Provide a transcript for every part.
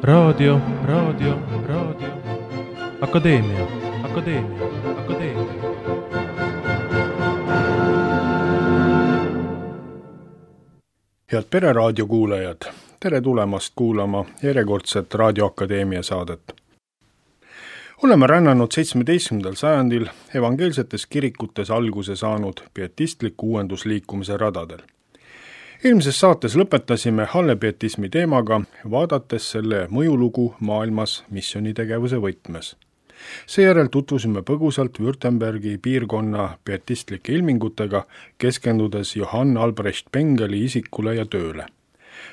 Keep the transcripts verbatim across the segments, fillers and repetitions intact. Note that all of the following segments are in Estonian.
Raadio, raadio, raadio. Akadeemia, akadeemia, akadeemia. Head Pereraadio kuulajad, tere tulemast kuulama järjekordset Raadio Akadeemia saadet. Oleme rännanud seitsmeteistkümnendal sajandil evangeelsetes kirikutes alguse saanud pietistliku uuendusliikumise radadel. Eelmises saates lõpetasime hallepietismi teemaga, vaadates selle mõjulugu maailmas missionitegevuse võtmes. Seejärel tutvusime põgusalt Württembergi piirkonna pietistlike ilmingutega, keskendudes Johann Albrecht Bengeli isikule ja tööle.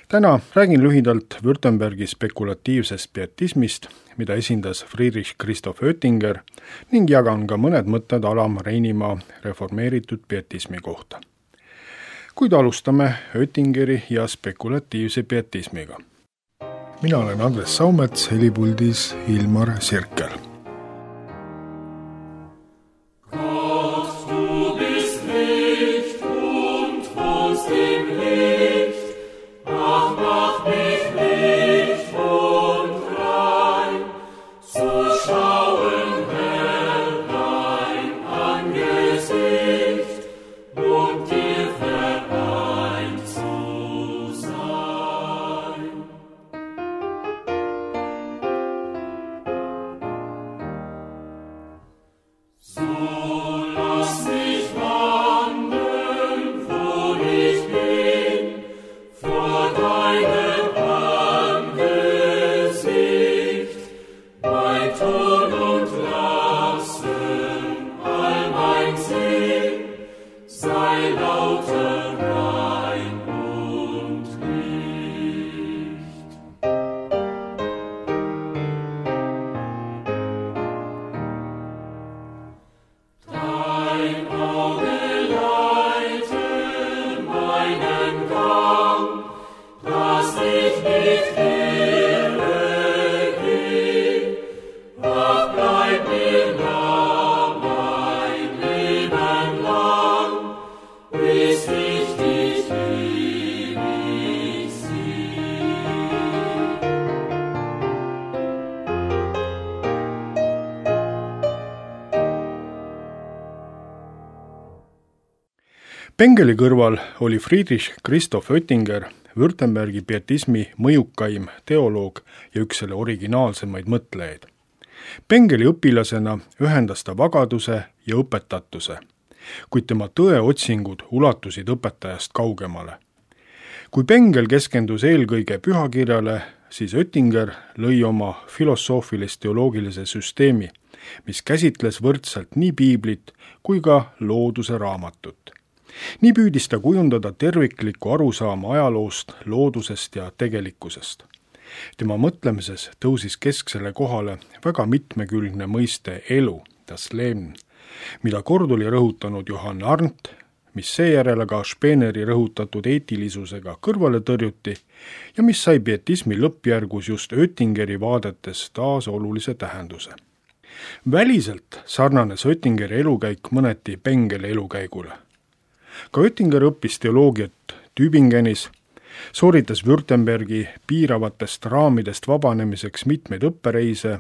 Täna räägin lühidalt Württembergi spekulatiivsest pietismist, mida esindas Friedrich Christoph Oettinger, ning jagan ka mõned mõtted Alam Reinimaa reformeeritud pietismi kohta. Kuid alustame Oettingeri ja spekulatiivse pietismiga. Mina olen Andres Saumets, helipuldis Ilmar Sirkel. Bengeli kõrval oli Friedrich Christoph Oettinger, Württembergi pietismi mõjukaim teoloog ja üks selle originaalsemaid mõtlejaid. Bengeli õpilasena ühendas ta vagaduse ja õpetatuse, kuid tema tõeotsingud ulatusid õpetajast kaugemale. Kui Bengel keskendus eelkõige pühakirjale, siis Oettinger lõi oma filosoofilist-teoloogilise süsteemi, mis käsitles võrdselt nii piiblit kui ka looduse raamatut. Nii püüdis ta kujundada terviklikku arusaama ajaloost, loodusest ja tegelikkusest. Tema mõtlemises tõusis kesksele kohale väga mitmekülgne mõiste elu, das Leben, mida kord oli rõhutanud Johann Arndt, mis seejärel aga Speeneri rõhutatud eetilisusega kõrvale tõrjuti ja mis sai pietismi lõppjärgus just Oettingeri vaadetes taas olulise tähenduse. Väliselt sarnanes Oettingeri elukäik mõneti Bengeli elukäigule. Ka Oettinger õppis teoloogiat Tübingenis, sooritas Württembergi piiravatest raamidest vabanemiseks mitmeid õppereise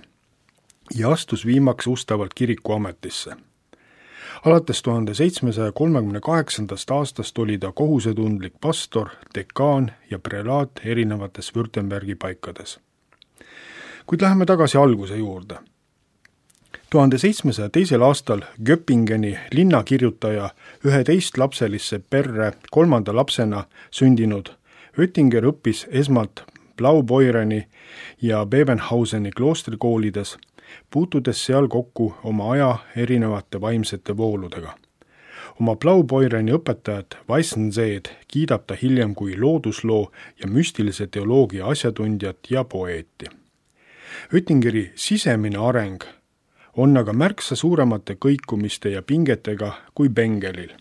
ja astus viimaks ustavalt kiriku ametisse. Alates tuhande seitsmesaja kolmekümne kaheksandast aastast oli ta kohusetundlik pastor, dekaan ja prelaat erinevates Württembergi paikades. Kuid läheme tagasi alguse juurde. tuhande seitsmesaja teisel aastal Göppingeni linnakirjutaja üheteistlapselisse perre kolmanda lapsena sündinud Oettinger õppis esmalt Blaubeureni ja Bebenhauseni kloostrikoolides, puutudes seal kokku oma aja erinevate vaimsete vooludega. Oma Blaubeureni õpetajat Weissenseed kiidab ta hiljem kui loodusloo ja müstilise teoloogia asjatundjat ja poeeti. Oettingeri sisemine areng on aga märksa suuremate kõikumiste ja pingetega kui Bengelil.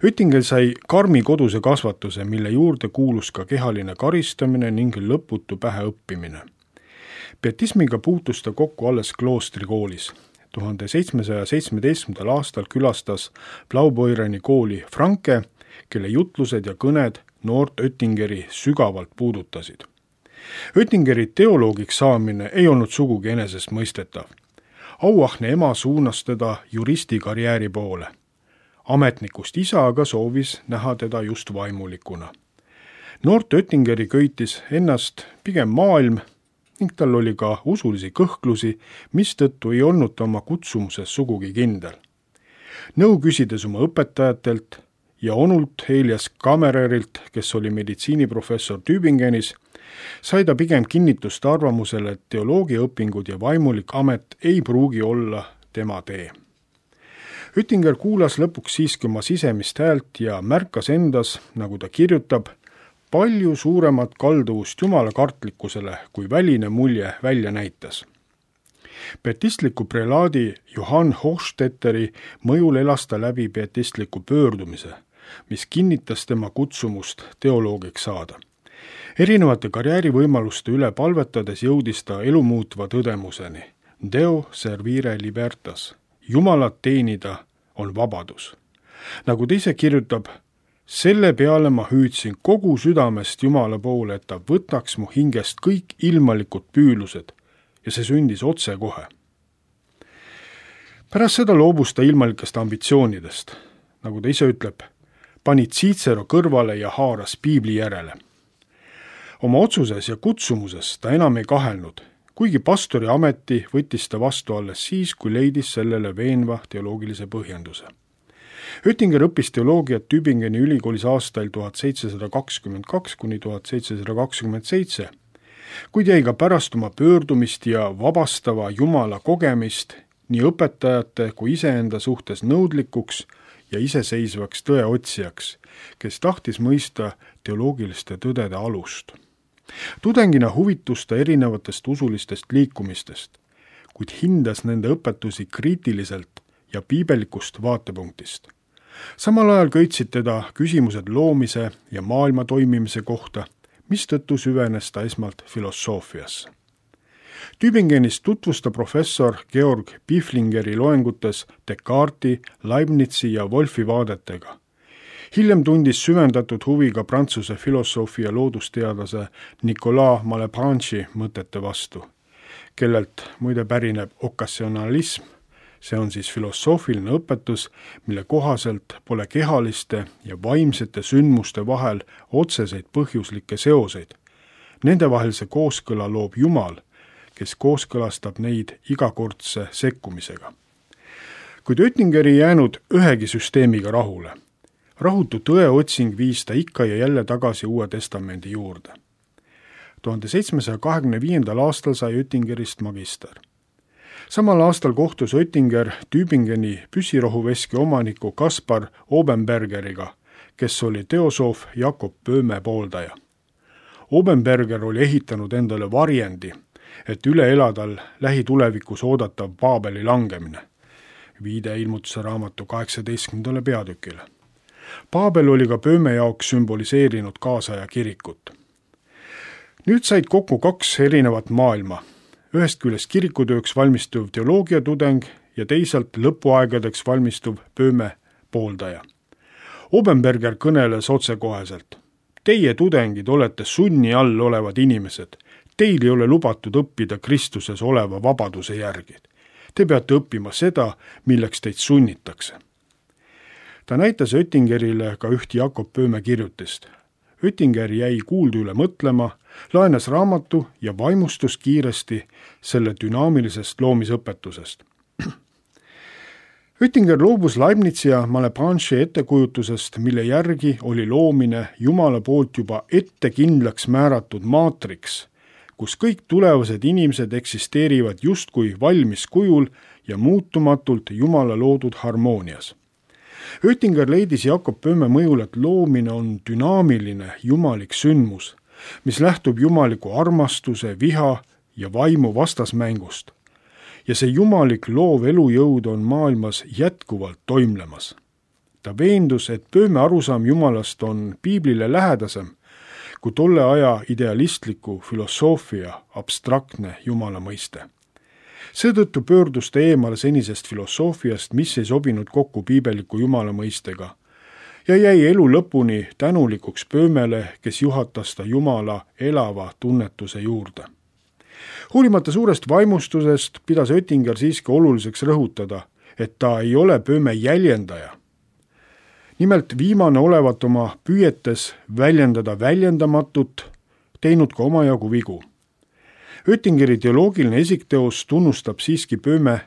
Oettinger sai karmi koduse kasvatuse, mille juurde kuulus ka kehaline karistamine ning lõputu pähe õppimine. Pietismiga puutus ta kokku alles kloostrikoolis. tuhande seitsmesaja seitsmeteistkümnendal aastal külastas Blaubeureni kooli Franke, kelle jutlused ja kõned noort Oettingeri sügavalt puudutasid. Oettingeri teoloogiks saamine ei olnud sugugi enesestmõistetav. Auahne ema suunas teda juristi karjääri poole. Ametnikust isa aga soovis näha teda just vaimulikuna. Noort Oettingeri köitis ennast pigem maailm ning tal oli ka usulisi kõhklusi, mistõttu ei olnud ta oma kutsumuses sugugi kindel. Nõu küsides oma õpetajatelt ja onult Elias Kammererilt, kes oli meditsiiniprofessor Tübingenis, sai ta pigem kinnitust arvamusele, et teoloogiaõpingud ja vaimulik amet ei pruugi olla tema tee. Oettinger kuulas lõpuks siiski oma sisemist häält ja märkas endas, nagu ta kirjutab, palju suuremat kalduvust jumalakartlikkusele, kui väline mulje välja näitas. Pietistliku prelaadi Johann Hochstetteri mõjul elas ta läbi pietistliku pöördumise, mis kinnitas tema kutsumust teoloogiks saada. Erinevate karjäärivõimaluste üle palvetades jõudis ta elumuutva tõdemuseni. Deo servire libertas. Jumalat teenida on vabadus. Nagu ta ise kirjutab, selle peale ma hüüdsin kogu südamest Jumala poole, et ta võtaks mu hingest kõik ilmalikud püülused ja see sündis otse kohe. Pärast seda loobus ta ilmalikest ambitsioonidest. Nagu ta ise ütleb, pani Cicero kõrvale ja haaras piibli järele. Oma otsuses ja kutsumuses ta enam ei kahelnud, kuigi pastori ameti võttis ta vastu alles siis, kui leidis sellele veenva teoloogilise põhjenduse. Oettinger õppis teoloogiat Tübingeni ülikoolis aastail tuhat seitsesada kakskümmend kaks kuni tuhat seitsesada kakskümmend seitse, kuid jäi ka pärast oma pöördumist ja vabastava Jumala kogemist nii õpetajate kui iseenda suhtes nõudlikuks ja iseseisvaks tõeotsijaks, kes tahtis mõista teoloogiliste tõdede alust. Tudengina huvitus ta erinevatest usulistest liikumistest, kuid hindas nende õpetusi kriitiliselt ja piibelikust vaatepunktist. Samal ajal köitsid teda küsimused loomise ja maailma toimimise kohta, mistõttu süvenes ta esmalt filosoofiasse. Tübingenis tutvusta professor Georg Pflingeri loengutes Descartesi, Leibnizi ja Wolfi vaadetega. Hiljem tundis süvendatud huvi ka prantsuse filosoofi ja loodusteadlase Nicolas Malebranche'i mõtete vastu, kellelt muide pärineb okasjonalism, see on siis filosoofiline õpetus, mille kohaselt pole kehaliste ja vaimsete sündmuste vahel otseseid põhjuslikke seoseid. Nendevahelise kooskõla loob Jumal, kes kooskõlastab neid igakordse sekkumisega. Kuid Oettinger ei jäänud ühegi süsteemiga rahule. Rahutu tõeotsing viis ta ikka ja jälle tagasi Uue Testamendi juurde. tuhande seitsmesaja kahekümne viiendal aastal sai Oettingerist magister. Samal aastal kohtus Oettinger Tübingeni püssirohuveski omaniku Kaspar Obenbergeriga, kes oli teosoof Jakob Böhme pooldaja. Obenberger oli ehitanud endale varjendi, et üle eladal lähitulevikus oodatav Paabeli langemine. Viide ilmutuse raamatu kaheksateistkümnendale peatükile. Paabel oli ka Böhme jaoks sümboliseerinud kaasaja kirikut. Nüüd said kokku kaks erinevat maailma. Ühest küljest kirikutööks valmistuv teoloogiatudeng ja teisalt lõpuaegadeks valmistuv Böhme pooldaja. Obenberger kõneles otsekoheselt. Teie tudengid olete sunni all olevad inimesed. Teil ei ole lubatud õppida Kristuses oleva vabaduse järgi. Te peate õppima seda, milleks teid sunnitakse. Ta näitas Oettingerile ka üht Jakob Böhme kirjutist. Oettinger jäi kuuldu üle mõtlema, laenas raamatu ja vaimustus kiiresti selle dünaamilisest loomisõpetusest. Oettinger loobus Leibnizi ja Malebranche'i ettekujutusest, mille järgi oli loomine Jumala poolt juba ette kindlaks määratud maatriks, kus kõik tulevased inimesed eksisteerivad justkui valmis kujul ja muutumatult Jumala loodud harmoonias. Oettinger leidis Jakob Böhme mõjul, et loomine on dünaamiline jumalik sündmus, mis lähtub jumaliku armastuse, viha ja vaimu vastasmängust. Ja see jumalik loov elujõud on maailmas jätkuvalt toimlemas. ta veendus, et pööme arusaam Jumalast on piiblile lähedasem kui tolle aja idealistliku filosoofia abstraktne Jumala mõiste. Seetõttu pöördus ta eemale senisest filosoofiast, mis ei sobinud kokku piibeliku Jumala mõistega, ja jäi elu lõpuni tänulikuks pöömele, kes juhatas ta Jumala elava tunnetuse juurde. Hoolimata suurest vaimustusest pidas Oettinger siiski oluliseks rõhutada, et ta ei ole pööme jäljendaja. Nimelt viimane olevat oma püüetes väljendada väljendamatut, teinud ka omajagu vigu. Oettingeri teoloogiline esikteos tunnustab siiski pööme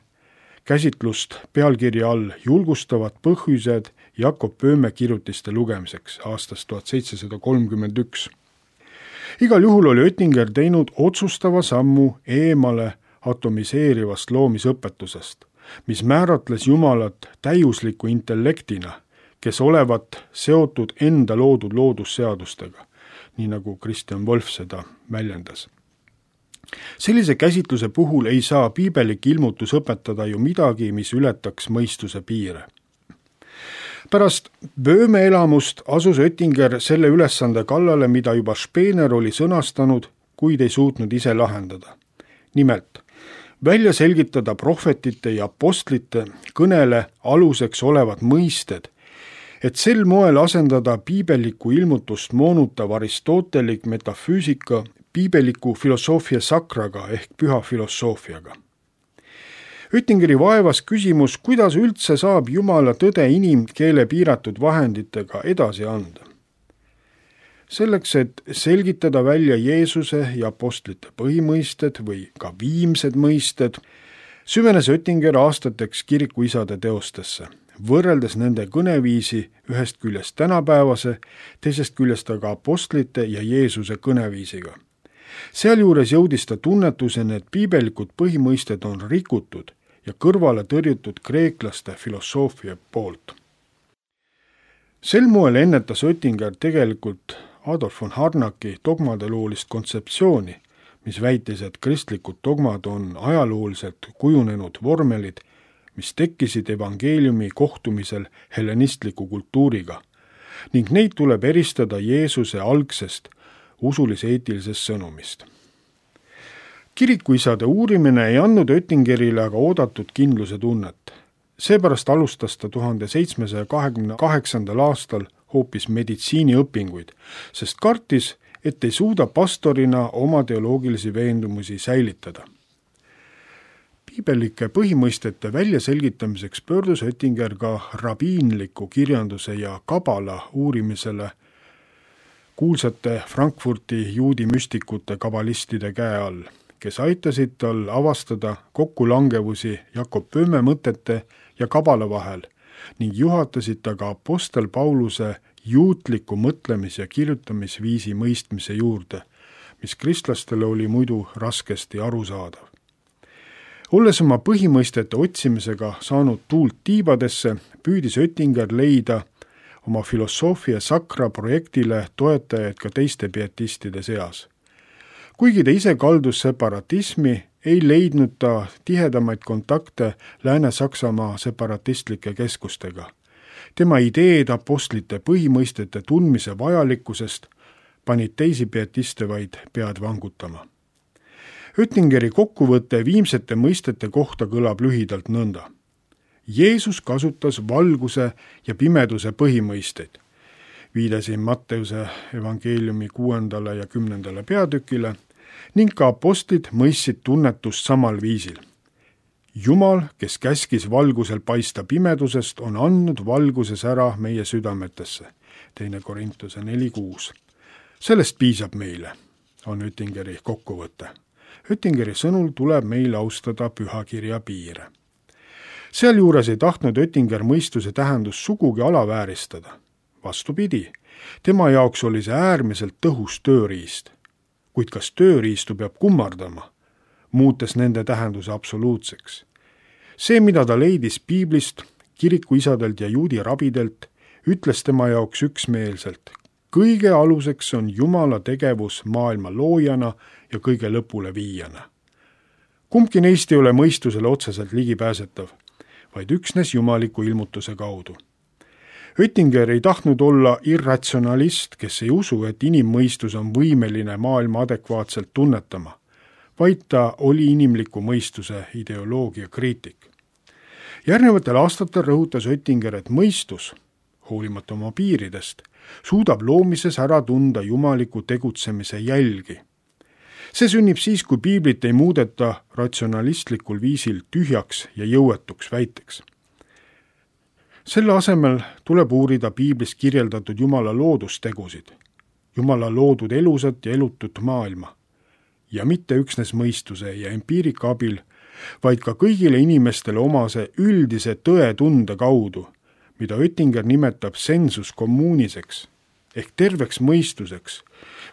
käsitlust pealkirja all julgustavad põhjused Jakob Pööme kirjutiste lugemiseks aastast tuhat seitsesada kolmkümmend üks. Igal juhul oli Oettinger teinud otsustava sammu eemale atomiseerivast loomisõpetusest, mis määratles Jumalat täiusliku intellektina, kes olevat seotud enda loodud loodusseadustega, nii nagu Christian Wolff seda väljendas. Sellise käsitluse puhul ei saa piibelik ilmutus õpetada ju midagi, mis ületaks mõistuse piire. Pärast Bööme elamust asus Oettinger selle ülesande kallale, mida juba Spener oli sõnastanud, kuid ei suutnud ise lahendada. Nimelt, välja selgitada prohvetite ja apostlite kõnele aluseks olevad mõisted, et sel moel asendada piibeliku ilmutust moonutav aristotelik metafüüsika piibeliku filosoofia sakraga ehk püha filosoofiaga. Oettingeri vaevas küsimus, kuidas üldse saab Jumala tõde inimkeele piiratud vahenditega edasi anda. Selleks, et selgitada välja Jeesuse ja apostlite põhimõisted või ka viimsed mõisted, süvenes Oettinger aastateks kirikuisade teostesse, võrreldes nende kõneviisi ühest küljest tänapäevase, teisest küljest aga apostlite ja Jeesuse kõneviisiga. Sealjuures jõudis ta tunnetuseni, et piibelikud põhimõisted on rikutud ja kõrvale tõrjutud kreeklaste filosoofia poolt. Sel moel ennetas Oettinger tegelikult Adolf von Harnacki dogmadeloolist kontseptsiooni, mis väitis, et kristlikud dogmad on ajalooliselt kujunenud vormelid, mis tekkisid evangeeliumi kohtumisel hellenistliku kultuuriga, ning neid tuleb eristada Jeesuse algsest usulis-eetilisest sõnumist. Kirikuisade uurimine ei andnud Oettingerile aga oodatud kindluse tunnet. Seepärast alustas ta tuhande seitsmesaja kahekümne kaheksandal aastal hoopis meditsiiniõpinguid, sest kartis, et ei suuda pastorina oma teoloogilisi veendumusi säilitada. Piibelike põhimõistete väljaselgitamiseks pöördus Oettinger ka rabiinliku kirjanduse ja kabala uurimisele kuulsate Frankfurti juudi müstikute kabalistide käe all, kes aitasid tal avastada kokkulangevusi Jakob Pööme mõtete ja kabala vahel ning juhatasid ta ka apostel Pauluse juutliku mõtlemis- ja kirjutamisviisi mõistmise juurde, mis kristlastele oli muidu raskesti arusaadav. Olles oma põhimõistete otsimisega saanud tuult tiibadesse, püüdis Oettinger leida oma filosoofia sakra projektile toetajaid ka teiste pietistide seas. Kuigi ta ise kaldus separatismi, ei leidnud ta tihedamaid kontakte Lääne-Saksamaa separatistlike keskustega. Tema ideed apostlite põhimõistete tundmise vajalikkusest panid teisi pietiste vaid pead vangutama. Oettingeri kokkuvõte viimsete mõistete kohta kõlab lühidalt nõnda. Jeesus kasutas valguse ja pimeduse põhimõisteid. Viidasin Matteuse evangeeliumi kuuendale ja kümnendale peatükile ning ka apostlid mõistsid tunnetust samal viisil. Jumal, kes käskis valgusel paista pimedusest, on andnud valguses ära meie südametesse. Teine Korintuse neli kuus. Sellest piisab meile, on Oettingeri kokkuvõte. Oettingeri sõnul tuleb meil austada pühakirja piire. Sealjuures ei tahtnud Oettinger mõistuse tähendust sugugi alavääristada. Vastupidi, tema jaoks oli see äärmiselt tõhus tööriist. Kuid kas tööriistu peab kummardama, muutes nende tähenduse absoluutseks? See, mida ta leidis piiblist, kirikuisadelt ja juudi rabidelt, ütles tema jaoks üksmeelselt. Kõige aluseks on Jumala tegevus maailma loojana ja kõige lõpule viijana. Kumbki neist ei ole mõistusele otseselt ligipääsetav, vaid üksnes jumaliku ilmutuse kaudu. Oettinger ei tahtnud olla irratsionalist, kes ei usu, et inimmõistus on võimeline maailma adekvaatselt tunnetama, vaid ta oli inimliku mõistuse ideoloogia kriitik. Järgnevatel aastatel rõhutas Oettinger, et mõistus, hoolimata oma piiridest, suudab loomises ära tunda jumaliku tegutsemise jälgi. See sünnib siis, kui piiblit ei muudeta ratsionalistlikul viisil tühjaks ja jõuetuks väiteks. Selle asemel tuleb uurida piiblis kirjeldatud Jumala loodustegusid, Jumala loodud elusat ja elutut maailma, ja mitte üksnes mõistuse ja empiirika abil, vaid ka kõigile inimestele omase üldise tõetunde kaudu, mida Oettinger nimetab sensus communiseks ehk terveks mõistuseks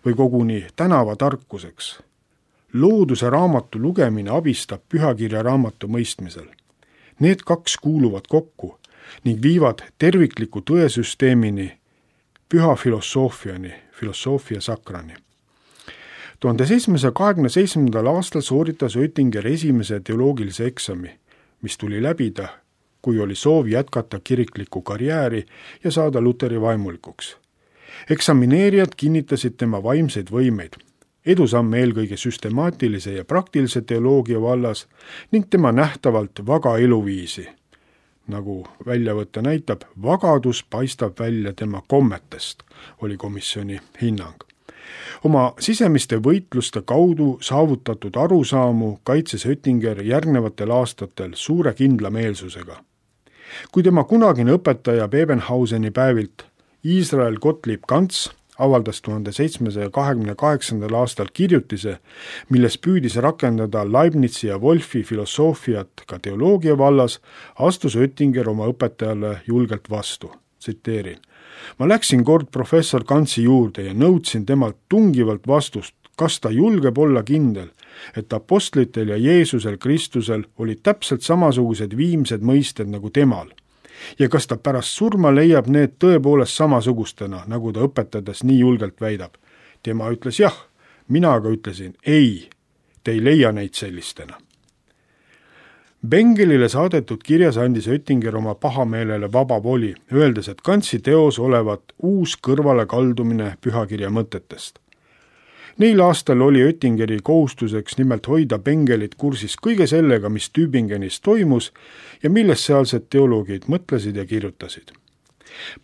või koguni tänavatarkuseks. Looduse raamatu lugemine abistab pühakirja raamatu mõistmisel. Need kaks kuuluvad kokku ning viivad tervikliku tõesüsteemini, püha filosoofiani, filosoofia sakrani. tuhande seitsmesaja kahekümne seitsmendal aastal sooritas Oettinger esimese teoloogilise eksami, mis tuli läbida, kui oli soov jätkata kiriklikku karjääri ja saada Luteri vaimulikuks. Eksamineerijad kinnitasid tema vaimseid võimeid, edusamme eelkõige süstemaatilise ja praktilise teoloogia vallas ning tema nähtavalt vaga eluviisi. Nagu väljavõte näitab, vagadus paistab välja tema kommetest, oli komisjoni hinnang. Oma sisemiste võitluste kaudu saavutatud arusaamu kaitses Oettinger järgnevatel aastatel suure kindlameelsusega. Kui tema kunagine õpetaja Bebenhauseni päevilt Israel Gottlieb Ganz avaldas tuhande seitsmesaja kahekümne kaheksandal aastal kirjutise, milles püüdis rakendada Leibnizi ja Wolfi filosoofiat ka teoloogia vallas, astus Oettinger oma õpetajale julgelt vastu. Tsiteerin. Ma läksin kord professor Ganzi juurde ja nõudsin temalt tungivalt vastust, kas ta julgeb olla kindel, et apostlitel ja Jeesusel Kristusel olid täpselt samasugused viimsed mõisted nagu temal. Ja kas ta pärast surma leiab need tõepoolest samasugustena, nagu ta õpetades nii julgelt väidab. Tema ütles jah, mina aga ütlesin ei, te ei leia neid sellistena. Bengelile saadetud kirjas andis Oettinger oma pahameelele vaba voli, öeldes, et Ganzi teos olevat uus kõrvale kaldumine pühakirja mõtetest. Neil aastal oli Oettingeri kohustuseks nimelt hoida Bengelit kursis kõige sellega, mis Tübingenis toimus ja millest sealsed teoloogid mõtlesid ja kirjutasid.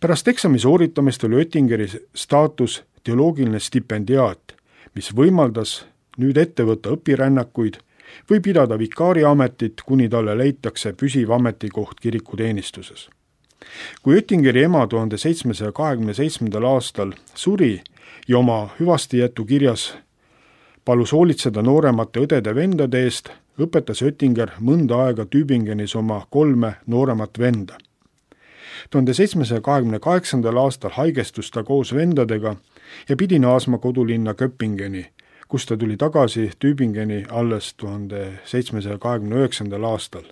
Pärast eksami sooritamist oli Oettingeri staatus teoloogiline stipendiaat, mis võimaldas nüüd ette võtta õpirännakuid või pidada vikaari ametit, kuni talle leitakse püsiv ametikoht kirikuteenistuses. Kui Oettingeri ema tuhande seitsmesaja kahekümne seitsmendal aastal suri ja oma hüvastijätu kirjas palus hoolitseda nooremate õdede-vendade eest, õpetas Oettinger mõnda aega Tübingenis oma kolme nooremat venda. tuhande seitsmesaja kahekümne kaheksandal aastal haigestus ta koos vendadega ja pidi naasma kodulinna Köppingeni, kus ta tuli tagasi Tübingeni alles tuhande seitsmesaja kahekümne üheksandal aastal,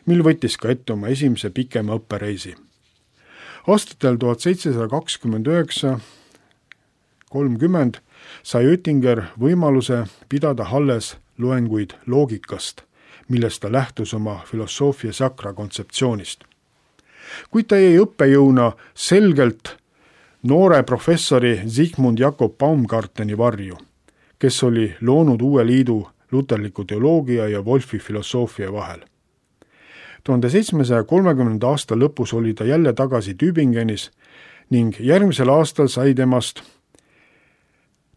mil võttis ka ette oma esimese pikema õppereisi. Aastatel tuhat seitsesada kakskümmend üheksa kolmkümmend sai Oettinger võimaluse pidada alles loenguid loogikast, millest ta lähtus oma filosoofia sakra kontseptsioonist. Kuid ta jäi õppejõuna selgelt noore professori Sigmund Jakob Baumgarteni varju, kes oli loonud uue liidu luterliku teoloogia ja Wolfi filosoofia vahel. tuhande seitsmesaja kolmekümnenda aasta lõpus oli ta jälle tagasi Tübingenis ning järgmisel aastal sai temast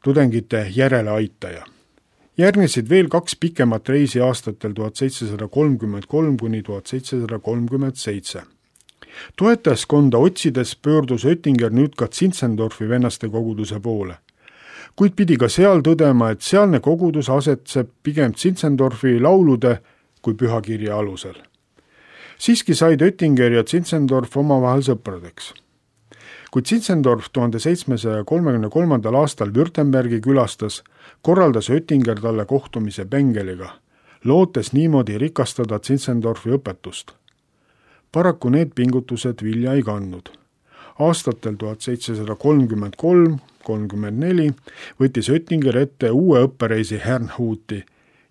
tudengite järeleaitaja. Järgnesid veel kaks pikemat reisi aastatel tuhat seitsesada kolmkümmend kolm kuni tuhat seitsesada kolmkümmend seitse. Toetajaskonda otsides pöördus Oettinger nüüd ka Zinzendorfi vennaste koguduse poole. Kuid pidi ka seal tõdema, et sealne kogudus asetseb pigem Zinzendorfi laulude kui pühakirja alusel. Siiski said Oettinger ja Zinzendorf omavahel sõpradeks. Kui Zinzendorf tuhande seitsmesaja kolmekümne kolmandal aastal Württembergi külastas, korraldas Oettinger talle kohtumise Bengeliga, lootes niimoodi rikastada Zinzendorfi õpetust. Paraku need pingutused vilja ei kandnud. Aastatel tuhat seitsesada kolmkümmend kolm kolmkümmend neli võttis Oettinger ette uue õppereisi Herrnhuti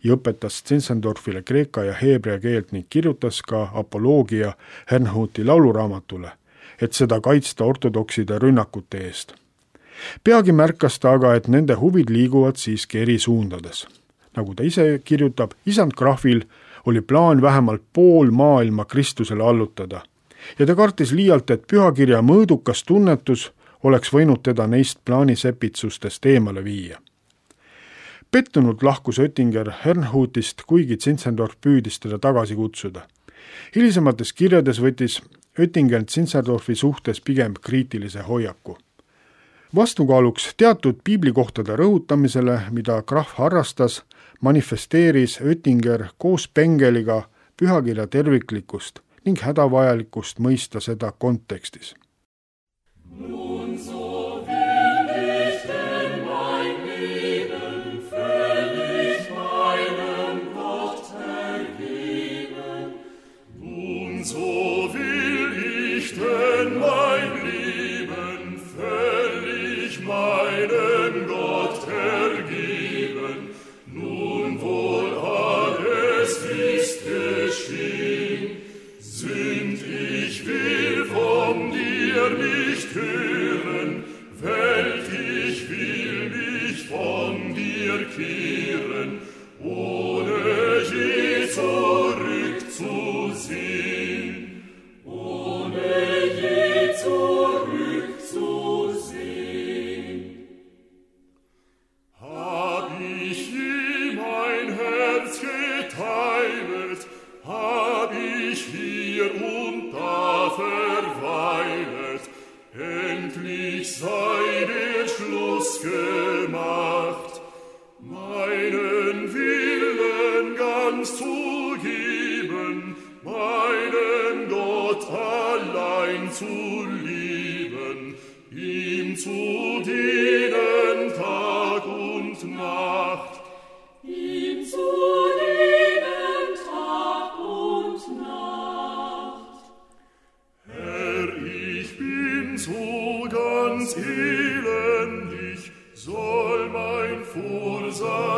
ja õpetas Zinzendorfile kreeka ja heebrea keelt ning kirjutas ka apoloogia Herrnhuti lauluraamatule, et seda kaitsta ortodokside rünnakute eest. Peagi märkas ta aga, et nende huvid liiguvad siiski eri suundades. Nagu ta ise kirjutab, isand Krahvil oli plaan vähemalt pool maailma Kristusele allutada ja ta kartis liialt, et pühakirja mõõdukas tunnetus oleks võinud teda neist plaanisepitsustest eemale viia. Pettunult lahkus Oettinger Herrnhutist, kuigi Zinzendorf püüdis teda tagasi kutsuda. Hilisemates kirjades võttis Oettinger Zinzendorfi suhtes pigem kriitilise hoiaku. Vastukaaluks teatud piiblikohtade rõhutamisele, mida Krahv harrastas, manifesteeris Oettinger koos Bengeliga pühakirja terviklikkust ning hädavajalikkust mõista seda kontekstis.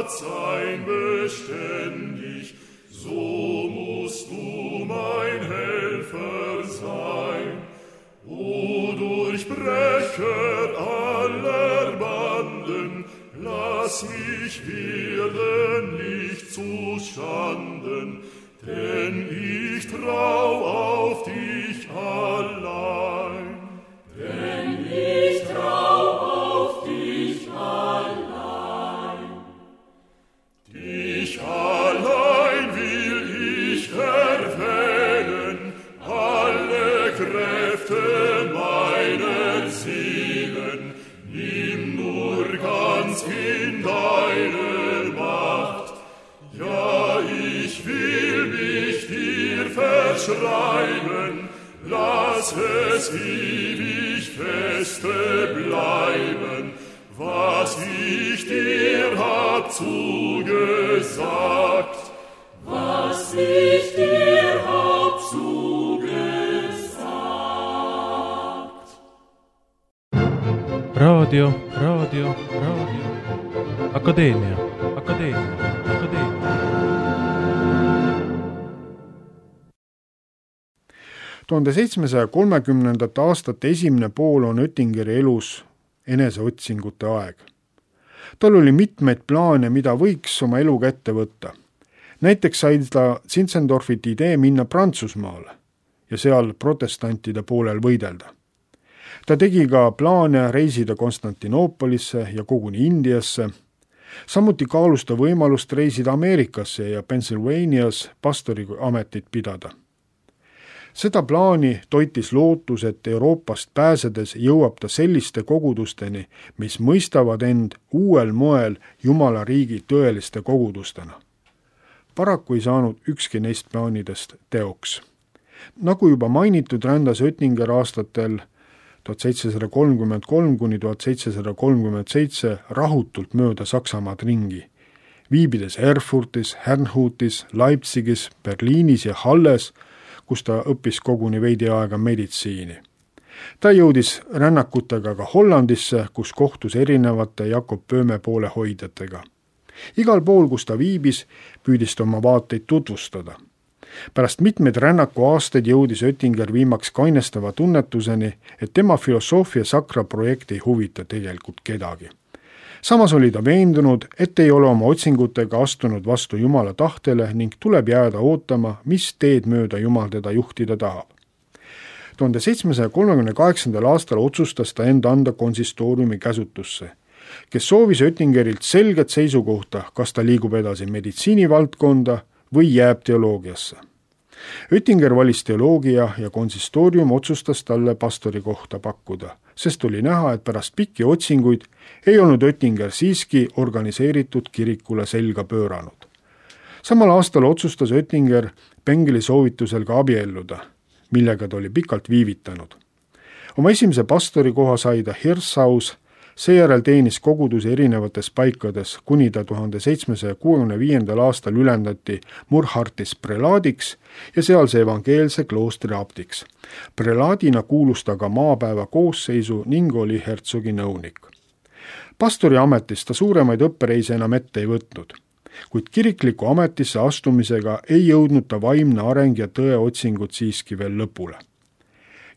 Sein beständig, so musst du mein Helfer sein. O Durchbrecher aller Banden, lass mich werden nicht zu Schanden, denn ich trau auf dich allein. Denn ich trau auf dich allein. Dich allein will ich erwählen, alle Kräfte meiner Seelen, nimm nur ganz in deine Macht. Ja, ich will mich dir verschreiben, lass es ewig feste bleiben, was ich dir hab zugesagt, was ich dir hab zugesagt. Raadio, raadio, raadio. Akadeemia, akadeemia, akadeemia. tuhande seitsmesaja kolmekümnendate aastate esimene pool on Oettingeri elus eneseotsingute aeg. Tal oli mitmeid plaane, mida võiks oma eluga ette võtta. Näiteks sai ta Zinzendorfilt idee minna Prantsusmaale ja seal protestantide poolel võidelda. Ta tegi ka plaane reisida Konstantinoopolisse ja koguni Indiasse. Samuti kaalus ta võimalust reisida Ameerikasse ja Pennsylvanias pastori ametit pidada. Seda plaani toitis lootus, et Euroopast pääsedes jõuab ta selliste kogudusteni, mis mõistavad end uuel moel Jumala riigi tõeliste kogudustena. Paraku ei saanud ükski neist plaanidest teoks. Nagu juba mainitud, rändas Oettinger aastatel tuhat seitsesada kolmkümmend kolm kuni tuhat seitsesada kolmkümmend seitse rahutult mööda Saksamaad ringi, viibides Erfurtis, Herrnhutis, Leipzigis, Berliinis ja Halles, kus ta õppis koguni veidi aega meditsiini. Ta jõudis rännakutega ka Hollandisse, kus kohtus erinevate Jakob Böhme poolehoidjatega. Igal pool, kus ta viibis, püüdis ta oma vaateid tutvustada. pärast mitmeid rännaku aastaid jõudis Oettinger viimaks kainestava tunnetuseni, et tema Philosophia Sacra projekt ei huvita tegelikult kedagi. Samas oli ta veendunud, et ei ole oma otsingutega astunud vastu Jumala tahtele ning tuleb jääda ootama, mis teed mööda Jumal teda juhtida tahab. tuhande seitsmesaja kolmekümne kaheksandal aastal otsustas ta enda anda konsistooriumi käsutusse, kes soovis Oettingerilt selget seisukohta, kas ta liigub edasi meditsiinivaldkonda või jääb teoloogiasse. Oettinger valis teoloogia ja konsistoorium otsustas talle pastori kohta pakkuda, sest oli näha, et pärast pikki otsinguid ei olnud Oettinger siiski organiseeritud kirikule selga pööranud. Samal aastal otsustas Oettinger Bengeli soovitusel ka abielluda, millega ta oli pikalt viivitanud. Oma esimese pastori koha sai ta Hirshaus, seejärel teenis kogudusi erinevates paikades, kuni ta tuhande seitsmesaja kuuekümne viiendal aastal ülendati Murhartis prelaadiks ja sealse evangeelse kloostri abdiks. Prelaadina kuulus ta ka maapäeva koosseisu ning oli hertsogi nõunik. Pastori ametis ta suuremaid õppereise enam ette ei võtnud, kuid kirikliku ametisse astumisega ei jõudnud ta vaimne areng ja tõe otsingud siiski veel lõpule.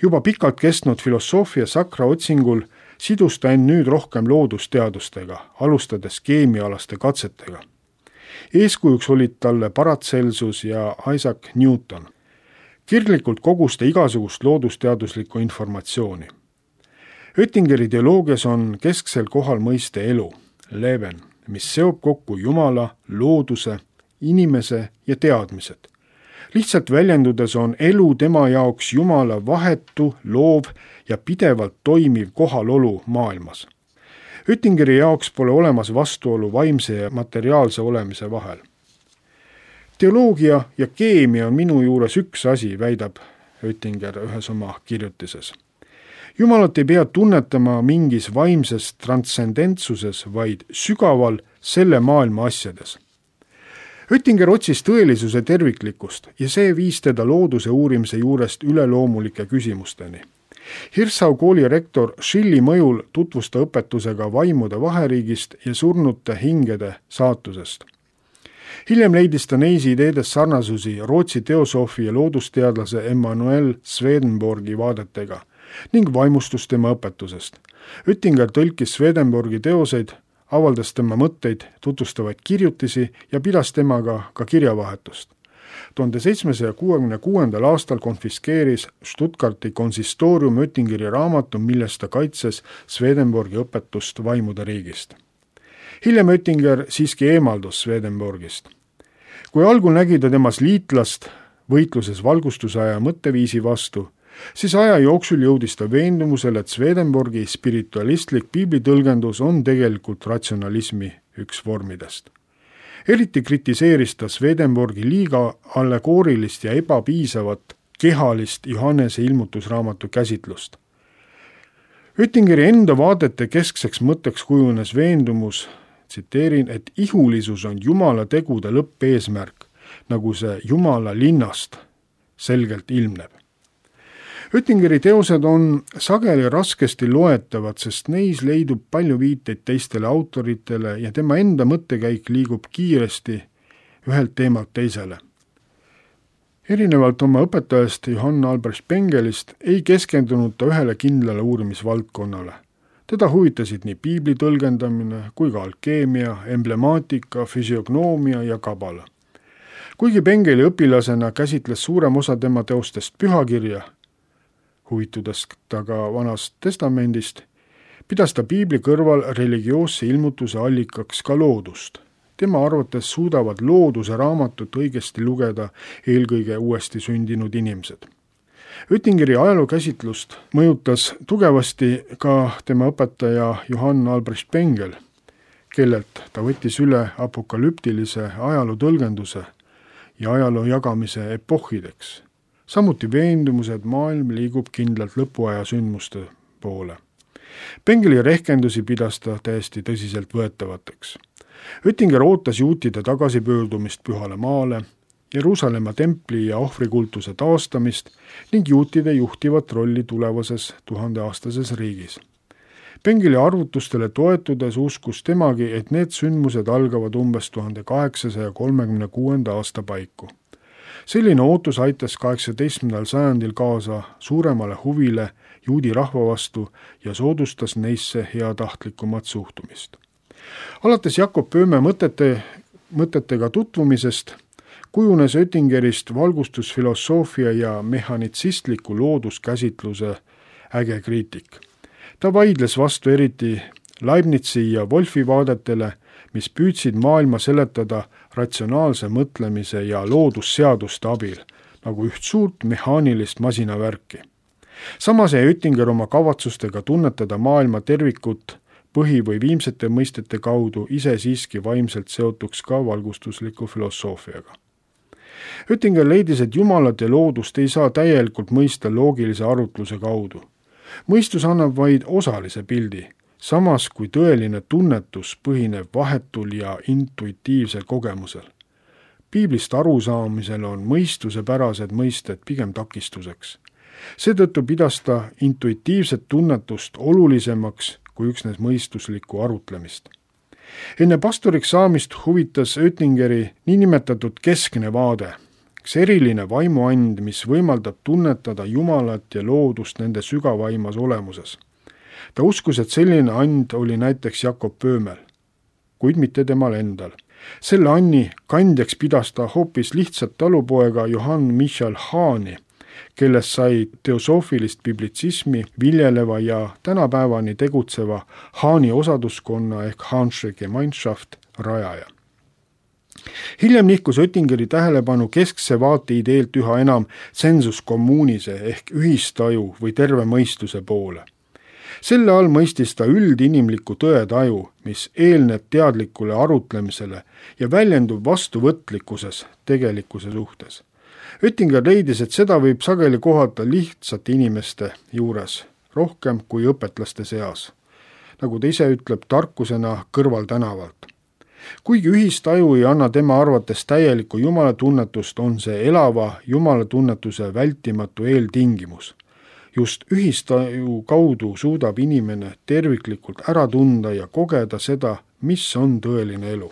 Juba pikalt kestnud Philosophia Sacra otsingul sidus ta end nüüd rohkem loodusteadustega, alustades keemiaalaste katsetega. Eeskujuks olid talle Paracelsus ja Isaac Newton. Kirglikult kogus ta igasugust loodusteaduslikku informatsiooni. Oettingeri teoloogias on kesksel kohal mõiste elu, leven, mis seob kokku Jumala, looduse, inimese ja teadmised. Lihtsalt väljendudes on elu tema jaoks Jumala vahetu, loov ja pidevalt toimiv kohalolu maailmas. Oettingeri jaoks pole olemas vastuolu vaimse ja materiaalse olemise vahel. Teoloogia ja keemia on minu juures üks asi, väidab Oettinger ühes oma kirjutises. Jumalat ei pea tunnetama mingis vaimses transcendentsuses, vaid sügaval selle maailma asjades. Oettinger otsis tõelisuse terviklikkust ja see viis teda looduse uurimise juurest üleloomulike küsimusteni. Hirschau kooli rektor Schilli mõjul tutvus ta õpetusega vaimude vaheriigist ja surnute hingede saatusest. Hiljem leidis ta neis ideedes sarnasusi Rootsi teosoofi ja loodusteadlase Emanuel Swedenborgi vaadetega ning vaimustus tema õpetusest. Oettinger tõlkis Swedenborgi teoseid, avaldas tema mõtteid, tutvustavaid kirjutisi ja pidas temaga ka kirjavahetust. tuhande seitsmesaja kuuekümne kuuendal aastal konfiskeeris Stuttgarti konsistoorium Oettingeri raamatu, milles ta kaitses Swedenborgi õpetust vaimude riigist. Hiljem Oettinger siiski eemaldus Swedenborgist. Kui algul nägi ta temas liitlast võitluses valgustusaja mõtteviisi vastu, siis aja jooksul jõudis ta veendumusele, et Swedenborgi spiritualistlik piiblitõlgendus on tegelikult ratsionalismi üks vormidest. Eriti kritiseeris ta Swedenborgi liiga allegoorilist ja ebapiisavat kehalist Johannese ilmutusraamatu käsitlust. Oettingeri enda vaadete keskseks mõtteks kujunes veendumus, tsiteerin, et ihulisus on Jumala tegude lõppeesmärk, nagu see Jumala linnast selgelt ilmneb. Oettingeri teosed on sageli raskesti loetavad, sest neis leidub palju viiteid teistele autoritele ja tema enda mõttekäik liigub kiiresti ühelt teemalt teisele. Erinevalt oma õpetajast Johann Albrecht Bengelist ei keskendunud ta ühele kindlale uurimisvaldkonnale. Teda huvitasid nii piibli tõlgendamine kui ka alkeemia, emblemaatika, füsiognoomia ja kabala. Kuigi Bengeli õpilasena käsitles suurem osa tema teostest pühakirja, huvitudes ta ka Vanast testamendist, pidas ta piibli kõrval religioosse ilmutuse allikaks ka loodust. Tema arvates suudavad looduse raamatut õigesti lugeda eelkõige uuesti sündinud inimesed. Oettingeri ajalookäsitlust mõjutas tugevasti ka tema õpetaja Johann Albrecht Bengel, kellelt ta võttis üle apokalüptilise ajaloo tõlgenduse ja ajaloo jagamise epohhideks. Samuti veendumused maailm liigub kindlalt lõpuaja sündmuste poole. Bengeli rehkendusi pidas ta täiesti tõsiselt võetavateks. Oettinger ootas juutide tagasipöördumist Pühale maale, Jeruusalemma templi ja ohvrikultuse taastamist ning juutide juhtivat rolli tulevases tuhandeaastases riigis. Bengeli arvutustele toetudes uskus temagi, et need sündmused algavad umbes tuhande kaheksasaja kolmekümne kuuenda aasta paiku. selline ootus aitas kaheksateistkümnendal sajandil kaasa suuremale huvile juudi rahva vastu ja soodustas neisse heatahtlikumat suhtumist. Alates Jakob Böhme mõtete, mõtetega tutvumisest kujunes Oettingerist valgustusfilosoofia ja mehhanitsistliku looduskäsitluse äge kriitik. Ta vaidles vastu eriti Leibnizi ja Wolfi vaadetele, mis püüdsid maailma seletada ratsionaalse mõtlemise ja loodusseaduste abil, nagu üht suurt mehaanilist masinavärki. Samas jäi Oettinger oma kavatsustega tunnetada maailma tervikut põhi- või viimsete mõistete kaudu ise siiski vaimselt seotuks ka valgustusliku filosoofiaga. Oettinger leidis, et Jumalat ja loodust ei saa täielikult mõista loogilise arutluse kaudu. Mõistus annab vaid osalise pildi, samas kui tõeline tunnetus põhineb vahetul ja intuitiivsel kogemusel. Piiblist arusaamisel on mõistusepärased mõisted pigem takistuseks. Seetõttu pidas ta intuitiivset tunnetust olulisemaks kui üksnes mõistuslikku arutlemist. Enne pastoriks saamist huvitas Oettingeri niinimetatud keskne vaade, üks eriline vaimuand, mis võimaldab tunnetada Jumalat ja loodust nende sügavaimas olemuses. Ta uskus, et selline and oli näiteks Jakob Böhmel, kuid mitte temal endal. Selle anni kandjaks pidas ta hoopis lihtsat talupoega Johann Michael Hahni, kellest sai teosoofilist biblitsismi viljeleva ja tänapäevani tegutseva Hahni osaduskonna ehk Hahnsche Gemeinschaft rajaja. Hiljem nihkus Oettingeri tähelepanu keskse vaate ideelt üha enam sensus communise ehk ühistaju või terve mõistuse poole. Selle all mõistis ta üldinimliku tõetaju, mis eelneb teadlikule arutlemisele ja väljendub vastuvõtlikkuses tegelikkuse suhtes. Oettinger leidis, et seda võib sageli kohata lihtsate inimeste juures, rohkem kui õpetlaste seas. Nagu ta ise ütleb, tarkusena kõrval tänavalt. Kuigi ühistaju ei anna tema arvates täielikku jumalatunnetust, on see elava jumalatunnetuse vältimatu eeltingimus. Just ühistaju kaudu suudab inimene terviklikult ära tunda ja kogeda seda, mis on tõeline elu.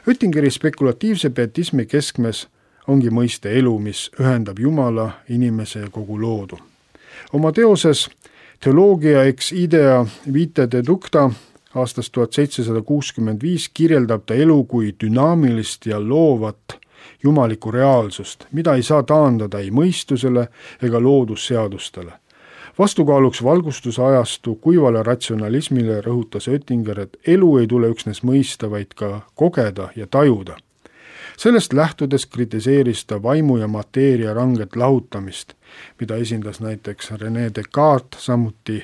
Oettingeri spekulatiivse pietismi keskmes ongi mõiste elu, mis ühendab Jumala, inimese ja kogu loodu. Oma teoses Theologia ex idea vitae deducta aastast tuhat seitsesada kuuskümmend viis kirjeldab ta elu kui dünaamilist ja loovat jumalikku reaalsust, mida ei saa taandada ei mõistusele ega loodusseadustele. Vastukaaluks valgustuse ajastu kuivale ratsionalismile rõhutas Oettinger, et elu ei tule üksnes mõista, vaid ka kogeda ja tajuda. Sellest lähtudes kritiseeris ta vaimu ja mateeria ranget lahutamist, mida esindas näiteks René Descartes, samuti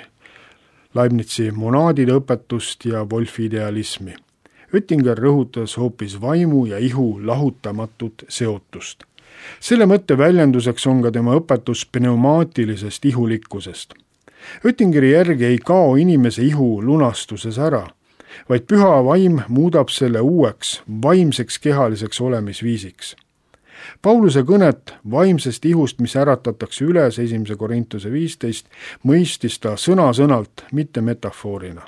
Leibnizi monaadide õpetust ja Wolfi idealismi. Oettinger rõhutas hoopis vaimu ja ihu lahutamatut seotust. Selle mõtte väljenduseks on ka tema õpetus pneumaatilisest ihulikkusest. Oettingeri järgi ei kao inimese ihu lunastuses ära, vaid püha vaim muudab selle uueks, vaimseks kehaliseks olemisviisiks. Pauluse kõnet vaimsest ihust, mis äratatakse üles esimese Korintuse viisteist, mõistis ta sõna-sõnalt, mitte metafoorina.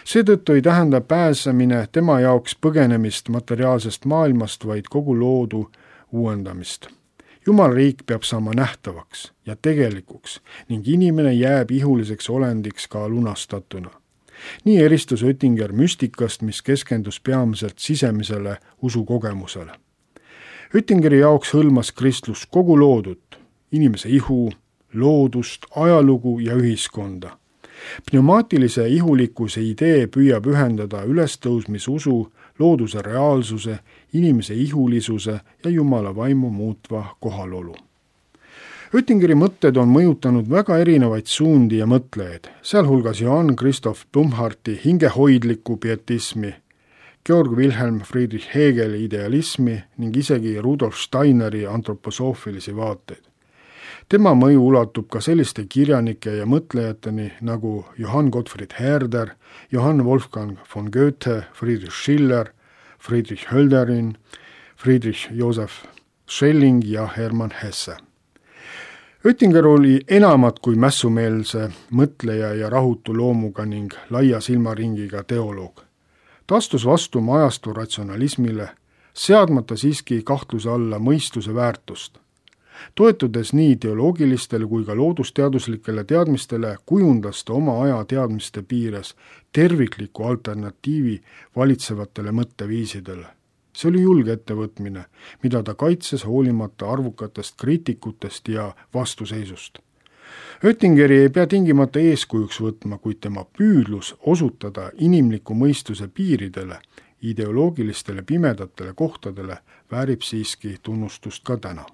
Seetõttu ei tähenda pääsemine tema jaoks põgenemist materiaalsest maailmast, vaid kogu loodu uuendamist. Jumalriik peab saama nähtavaks ja tegelikuks ning inimene jääb ihuliseks olendiks ka lunastatuna. Nii eristus Oettinger müstikast, mis keskendus peamiselt sisemisele usukogemusele. Oettingeri jaoks hõlmas kristlus kogu loodut, inimese ihu, loodust, ajalugu ja ühiskonda. Pneumaatilise ihulikkuse idee püüab ühendada ülestõusmisusu, looduse reaalsuse, inimese ihulisuse ja Jumala vaimu muutva kohalolu. Oettingeri mõtted on mõjutanud väga erinevaid suundi ja mõtlejaid, sealhulgas Johann Christoph Blumhardti hingehoidlikku pietismi, Georg Wilhelm Friedrich Hegeli idealismi ning isegi Rudolf Steineri antroposoofilisi vaateid. Tema mõju ulatub ka selliste kirjanike ja mõtlejateni nagu Johann Gottfried Herder, Johann Wolfgang von Goethe, Friedrich Schiller, Friedrich Hölderin, Friedrich Joseph Schelling ja Hermann Hesse. Oettinger oli enamat kui mässumeelse mõtleja ja rahutu loomuga ning laia silmaringiga teoloog. Ta astus vastu ajastu ratsionalismile, seadmata siiski kahtluse alla mõistuse väärtust. Toetudes nii ideoloogilistele kui ka loodusteaduslikele teadmistele, kujundas ta oma aja teadmiste piires tervikliku alternatiivi valitsevatele mõtteviisidele. See oli julge ettevõtmine, mida ta kaitses hoolimata arvukatest kriitikutest ja vastuseisust. Oettingeri ei pea tingimata eeskujuks võtma, kuid tema püüdlus osutada inimliku mõistuse piiridele, ideoloogilistele pimedatele kohtadele väärib siiski tunnustust ka täna.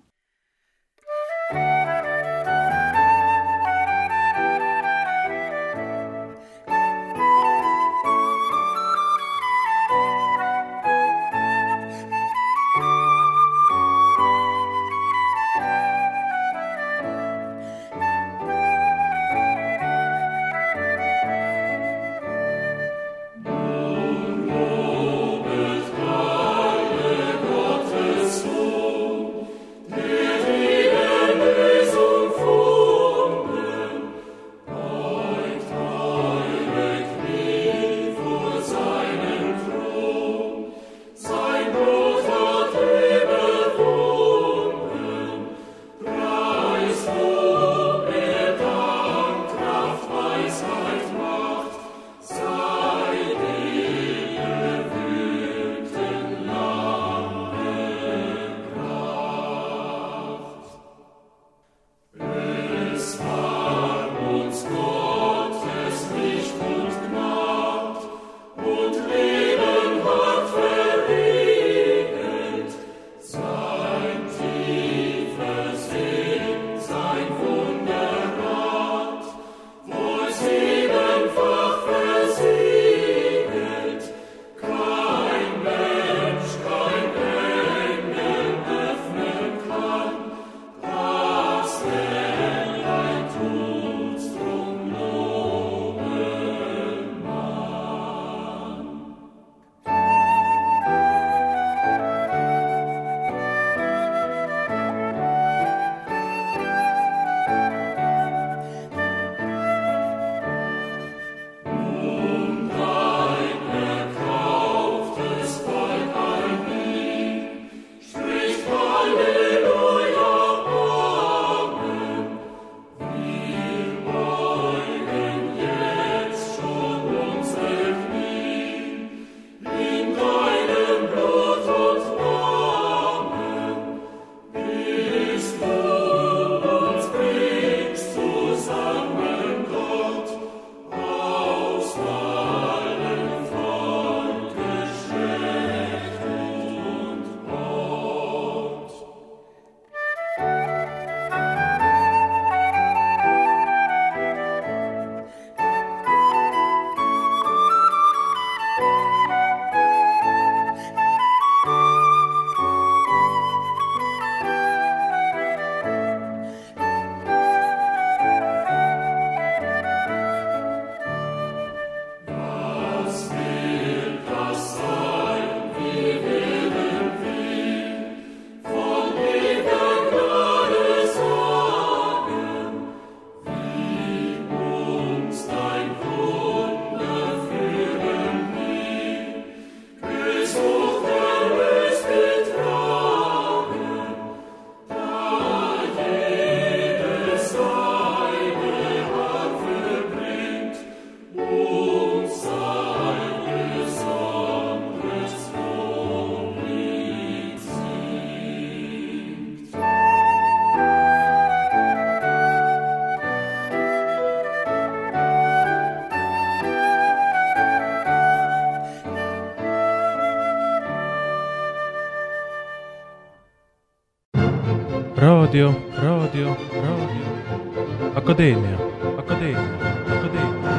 raadio, raadio, raadio, Akadeemia, Akadeemia, Akadeemia.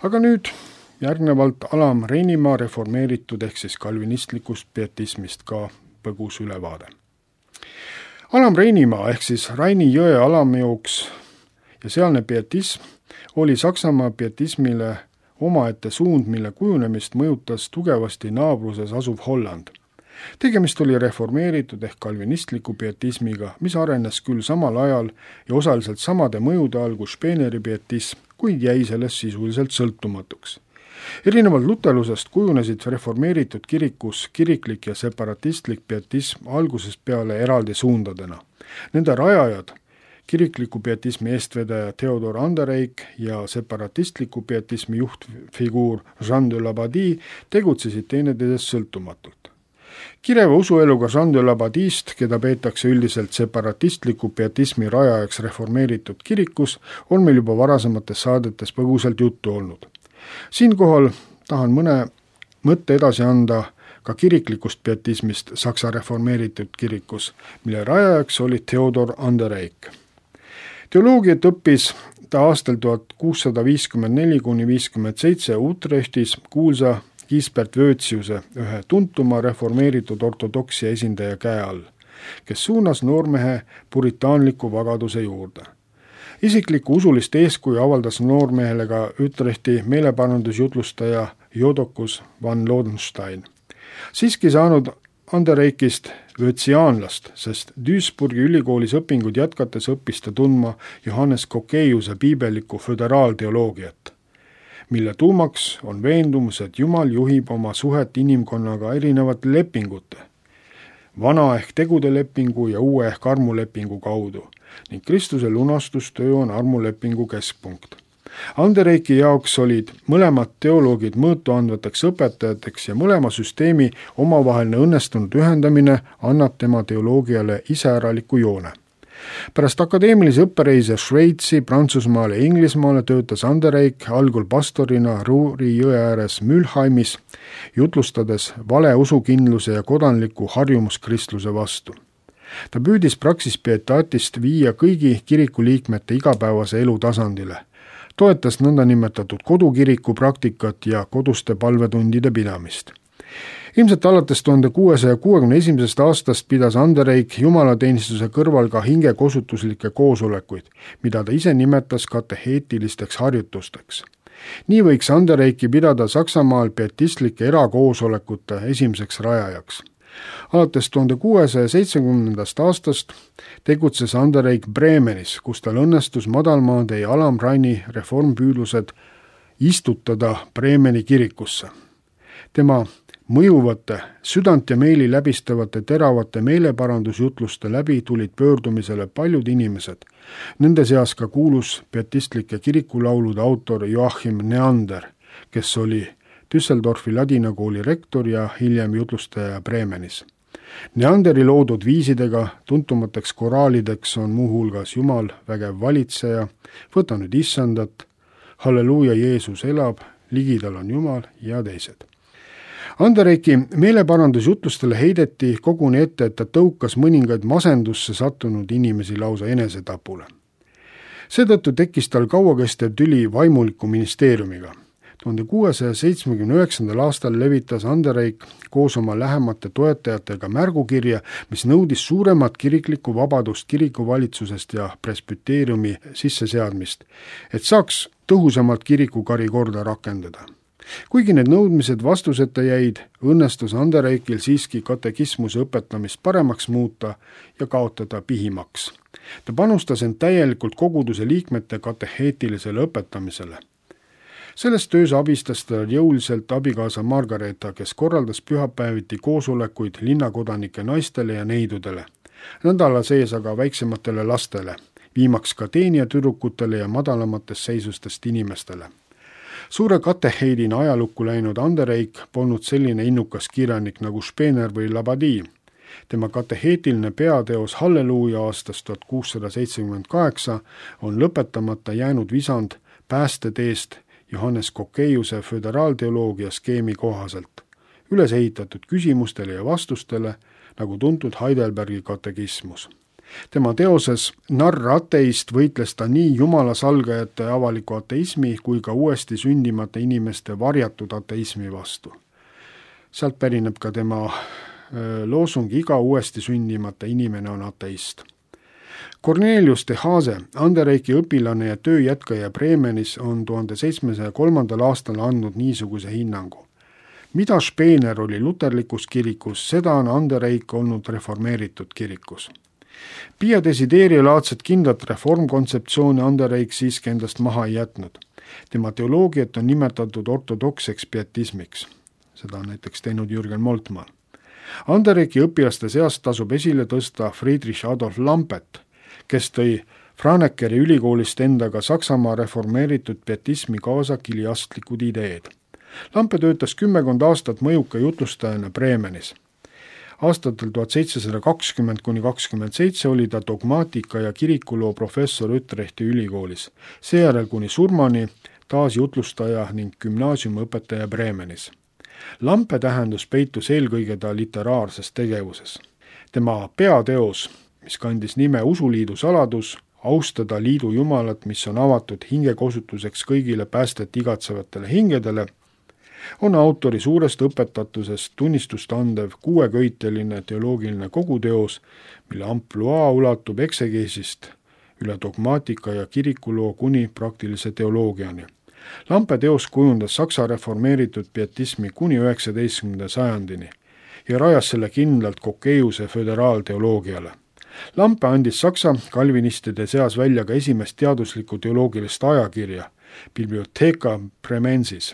Aga nüüd järgnevalt Alam Reinimaa reformeeritud ehk siis kalvinistlikust pietismist ka põgus ülevaade. Alam Reinimaa ehk siis Raini jõe alamjooks ja sealne pietism oli Saksamaa pietismile omaette suund, mille kujunemist mõjutas tugevasti naabruses asuv Holland. Tegemist oli reformeeritud ehk kalvinistliku pietismiga, mis arenes küll samal ajal ja osaliselt samade mõjude all kui Speeneri pietism, kuid jäi sellest sisuliselt sõltumatuks. erinevalt luterlusest kujunesid reformeeritud kirikus kiriklik ja separatistlik pietism algusest peale eraldi suundadena. Nende rajajad, kirikliku pietismi eestvedaja Theodor Andereik ja separatistliku pietismi juhtfiguur Jean de Labadie tegutsesid teineteisest sõltumatult. Kireva usueluga Jean de Labadist, keda peetakse üldiselt separatistliku pietismi rajajaks reformeeritud kirikus, on meil juba varasemates saadetes põgusalt juttu olnud. Siinkohal tahan mõne mõtte edasi anda ka kiriklikust pietismist Saksa reformeeritud kirikus, mille rajajaks oli Theodor Andereik. Teoloogiat õppis ta aastal tuhat kuussada viiskümmend neli kuni viiskümmend seitse Utrechtis kuulsa Gisbert Vöötsiuse, ühe tuntuma reformeeritud ortodoksia esindaja käe all, kes suunas noormehe puritaanliku vagaduse juurde. Isiklikku usulist eeskuju avaldas noormehele ka Utrechti meeleparandusjutlustaja Jodokus van Lodenstein. Siiski saanud Andereikist vöötsiaanlast, sest Duisburgi ülikoolis õpingud jätkates õppis ta tundma Johannes Kokeiuse piibellikku föderaalteoloogiat, mille tuumaks on veendumus, et Jumal juhib oma suhet inimkonnaga erinevate lepingute, vana ehk tegude lepingu ja uue ehk armulepingu kaudu, ning Kristuse lunastustöö on armulepingu keskpunkt. Andereiki jaoks olid mõlemad teoloogid mõõtu andvateks õpetajateks ja mõlema süsteemi omavaheline õnnestunud ühendamine annab tema teoloogiale iseäraliku joone. Pärast akadeemilise õppereise Šveitsi, Prantsusmaale ja Inglismaale töötas Andereik algul pastorina Ruuri jõe ääres Mülheimis, jutlustades vale usukindluse ja kodanliku harjumuskristluse vastu. Ta püüdis Praxis Pietatis viia kõigi kiriku liikmete igapäevase elu tasandile, toetas nõndanimetatud kodukiriku praktikat ja koduste palvetundide pidamist. Ilmselt alates tuhande kuuesaja kuuekümne esimesest aastast pidas Andereik jumalateenistuse kõrval ka hingekosutuslikke koosolekuid, mida ta ise nimetas kateheetilisteks harjutusteks. Nii võiks Andereiki pidada Saksamaal pietistlike erakoosolekute esimeseks rajajaks. Alates tuhande kuuesaja seitsmekümnendast aastast tegutses Andereik Bremenis, kus tal õnnestus madalmaade ja alamraini reformpüüdlused istutada Bremeni kirikusse. Tema mõjuvate, südant ja meeli läbistavate teravate meeleparandusjutluste läbi tulid pöördumisele paljud inimesed, nende seas ka kuulus pietistlike kirikulaulude autor Joachim Neander, kes oli Düsseldorfi ladinakooli rektor ja hiljem jutlustaja Bremenis. Neanderi loodud viisidega tuntumateks koraalideks on muuhulgas Jumal vägev valitseja, võta nüüd issandat, halleluuja, Jeesus elab, ligidal on Jumal ja teised. Andereiki meeleparandusjutlustele heideti koguni ette, et ta tõukas mõningaid masendusse sattunud inimesi lausa enesetapule. Seetõttu tekkis tal kauakestev tüli vaimuliku ministeeriumiga. tuhande kuuesaja seitsmekümne üheksandal aastal levitas Andereik koos oma lähemate toetajatega märgukirja, mis nõudis suuremat kiriklikku vabadust kirikuvalitsusest ja presbyteeriumi sisseseadmist, et saaks tõhusamalt kirikukari korda rakendada. Kuigi need nõudmised vastuseta jäid, õnnestus Andereikil siiski katekismuse õpetamist paremaks muuta ja kaotada pihimaks. Ta panustas end täielikult koguduse liikmete kateheetilisele õpetamisele. Selles töös abistas ta jõuliselt abikaasa Margareta, kes korraldas pühapäeviti koosolekuid linnakodanike naistele ja neidudele, nädala sees aga väiksematele lastele, viimaks ka teenijatüdrukutele ja madalamatest seisustest inimestele. Suure kateheidina ajalukku läinud Andereik polnud selline innukas kirjanik nagu Spener või Labadie. Tema kateheetiline peateos Halleluuja aastast tuhat kuussada seitsekümmend kaheksa on lõpetamata jäänud visand päästeteest Johannes Kokeiuse föderaalteoloogia skeemi kohaselt, üles ehitatud küsimustele ja vastustele, nagu tuntud Heidelbergi katekismus. Tema teoses Narr ateist võitles ta nii jumala salgajate avaliku ateismi kui ka uuesti sündimata inimeste varjatud ateismi vastu. Sealt pärineb ka tema loosung iga uuesti sündimata inimene on ateist. Cornelius de Haase, Andereiki õpilane ja tööjätkaja Bremenis, on tuhande seitsmesaja kolmandal aastal andnud niisuguse hinnangu. Mida Spener oli luterlikus kirikus, seda on Andereik olnud reformeeritud kirikus. Pia Desideria laadset kindlat reformkontseptsiooni Andereik siiski endast maha ei jätnud. tema teoloogiat on nimetatud ortodokseks pietismiks. Seda on näiteks teinud Jürgen Moltmann. Andereki õpilaste seast tasub esile tõsta Friedrich Adolf Lampet, kes tõi Franekkeri ülikoolist endaga Saksamaa reformeeritud pietismi kaasa kiliastlikud ideed. Lampe töötas kümmekond aastat mõjuka jutlustajana Bremenis. Aastatel tuhat seitsesada kakskümmend kuni kakskümmend seitse oli ta dogmaatika ja kirikuloo professor Utrechti ülikoolis, seejärel kuni surmani taas jutlustaja ning gümnaasiumiõpetaja Bremenis. Lampe tähendus peitus eelkõige ta literaarses tegevuses. Tema peateos, mis kandis nime Usuliidu saladus, austada liidu jumalat, mis on avatud hingekosutuseks kõigile päästet igatsevatele hingedele, on autori suurest õpetatusest tunnistust andev kuueköiteline teoloogiline koguteos, mille ampluaa ulatub eksegeesist üle dogmaatika ja kirikuloo kuni praktilise teoloogiani. Lampe teos kujundas Saksa reformeeritud pietismi kuni üheksateistkümnenda sajandini ja rajas selle kindlalt Kokeiuse föderaalteoloogiale. Lampe andis Saksa kalvinistide seas välja ka esimest teaduslikku teoloogilist ajakirja, Bibliotheca Bremensis,